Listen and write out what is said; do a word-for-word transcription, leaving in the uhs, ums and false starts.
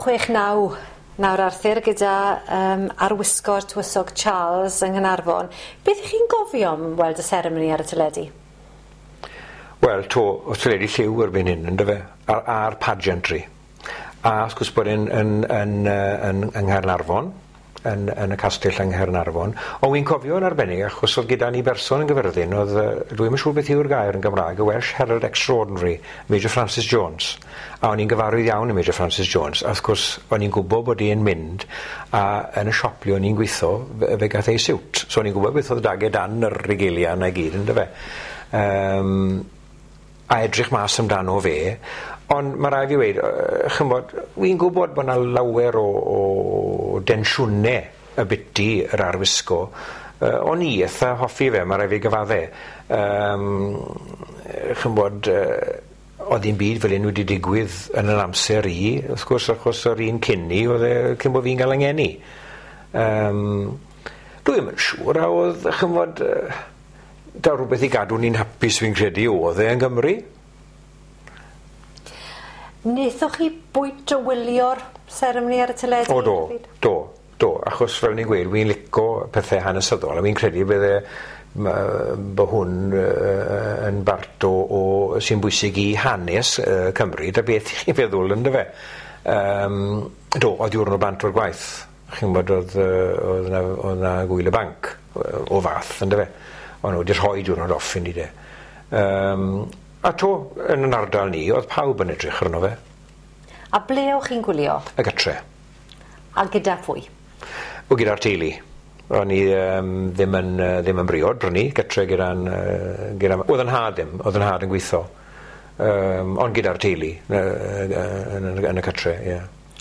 Chwech naw nawr, Arthur, gyda um, arwisgo'r Tywysog Charles yng Nghaernarfon. Beth ych chi'n gofio am weld y seremoni ar y teledu? Wel, to, o teledu lliw erbyn hyn, ynddo fe, a'r, a'r pageantry. A wrth gwrs bod e'n yn, yn, yn, yng Nghaernarfon, yn, yn y castell yng Nghaernarfon. Ond wy'n cofio yn arbennig, achos oedd gyda ni berson yn Gyfyrddin, oedd, dwi'm yn siŵr beth yw'r gair yn Gymraeg, y Welsh Herald Extraordinary, Major Francis Jones. A o'n i'n gyfarwydd iawn i Major Francis Jones. A wrth gwrs, o'n i'n gwybod bod i'n mynd, a yn y siop le o'n i'n gweithio, fe, fe gath ei siwt. So o'n i'n gwybod beth oedd 'dag e dan yr regalia 'na i gyd, ynddo fe. Um, a edrych mas amdano fe. Ond mae rhaid fi weud, yy, ch'mod, wi'n gwybod bod 'na lawer o, o densiwnau ybiti yr arwisgo. Uh, o'n i eitha hoffi fe, mae rhaid fi gyfadde. Um, ch'mod, uh, oedd ddim byd fel un wedi digwydd yn yr amser i, wrth gwrs, achos yr un cyn ni, oedd e cyn bod fi'n cael yng ngeni. Um, dwi'm yn siŵr a oedd, ch'mod, uh, da rhywbeth i gadw ni'n hapus fi'n credu oedd e yn Gymru. Nethoch chi bwynt o wylio'r seremoni ar y teledu? O do, do, do, achos fel ni'n gweud, wi'n lico pethau hanesyddol, a wi'n credu bydde bod hwn uh, yn bart o, o sy'n bwysig i hanes uh, Cymru, da beth chi'n feddwl, ynddo fe. Um, do, oedd diwrnod bant o'r gwaith. Chi'n gwybod, oedd, oedd, na, oedd na gwyl y banc o fath, ynddo fe. O'n nhw wedi rhoi diwrnod off i ni de. Um, a to, yn yn ardal ni, oedd pawb yn edrych arno fe. A ble o'ch chi'n gwylio? Y gytre. A gyda phwy? O, gyda'r teulu. O'n i um, ddim yn, uh, ddim yn briod, brynu, gytre gyda'n... Uh, gyda, oedd yn nhad ddim, oedd yn nhad yn gweithio. Um, ond gyda'r teulu, uh, uh, yn, yn, yn y cytre, ie. Yeah.